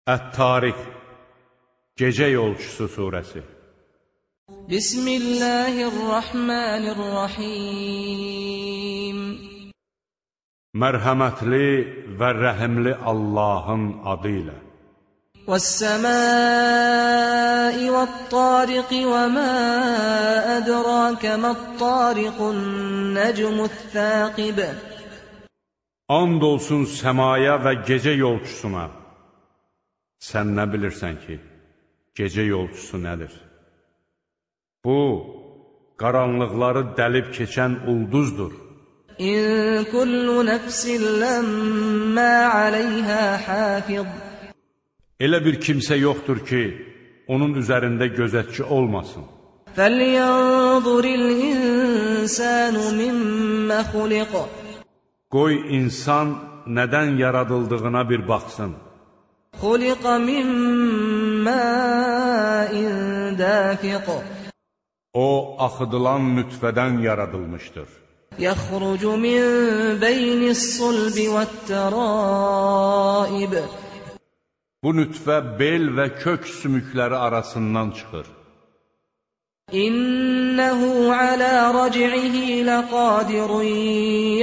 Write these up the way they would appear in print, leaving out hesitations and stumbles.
Ət-Tariq, Gecə Yolçusu surəsi. Bismillahirrahmanirrahim. Mərhəmətli və rəhimli Allahın adı ilə. Vəs-səmai vət-tariq və mə ədrakə mət-tariqun nəcmuth-thaqib. And olsun səmaya və gecə yolçusuna. Sən nə bilirsən ki, gecə yolçusu nədir? Bu, qaranlıqları dəlib keçən ulduzdur. İn kullu nəfsin ləmmə aleyhə hafiz. Elə bir kimsə yoxdur ki, onun üzərində gözətçi olmasın. Fəlyanzuril insanu mimmə xuliq. Qoy insan nədən yaradıldığına bir baxsın. خُلِقَ مِنْ مَاءٍ دَافِقٍ. O, axıdılan nütfədən yaradılmışdır. يَخْرُجُ مِنْ بَيْنِ الصُّلْبِ وَالتَّرَائِبِ. Bu nütfə bel və kök sümükləri arasından çıxır. إِنَّهُ عَلَى رَجْعِهِ لَقَادِرٌ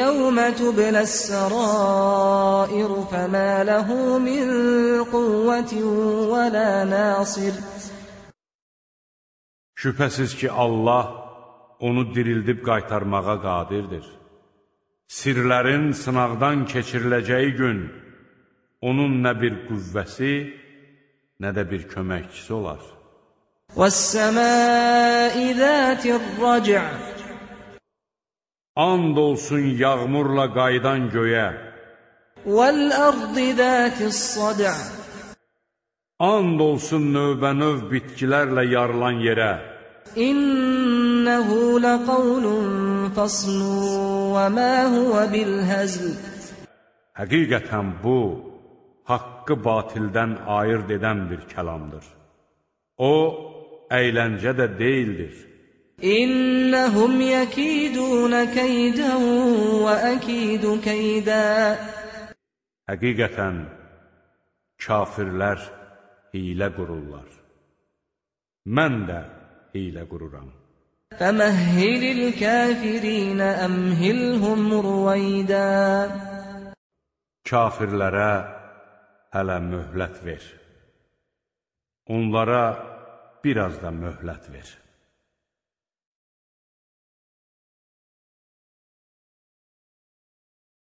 يَوْمَ تُبْلَى السَّرَائِرُ فَمَا لَهُ مِنْ قُوَّةٍ وَلَا نَاصِرٍ. Şübhəsiz ki, Allah onu dirildib qaytarmağa qadirdir. Sirlərin sınaqdan keçiriləcəyi gün onun nə bir qüvvəsi, nə də bir köməkçisi olar. وَالسَّمَاءِ ذَاتِ الرَّجْعِ. And olsun yağmurla qaydan göyə. وَالْأَرْضِ ذَاتِ الصَّدْعِ. And olsun növbənöv bitkilərlə yarılan yerə. إِنَّهُ لَقَوْلٌ فَصْلٌ وَمَا هُوَ بِالْهَزْلِ. Həqiqətən bu, haqqı batildən ayırt edən bir kəlamdır. O, əyləncə də deyildir. İnnəhum yəkidunə keydən və əkidu keydə. Həqiqətən, kafirlər hilə qururlar. Mən də hilə qururam. Fəməhhilil kəfirinə əmhilhum ruvaydə. Kafirlərə hələ möhlət ver. Onlara biraz da möhlət ver.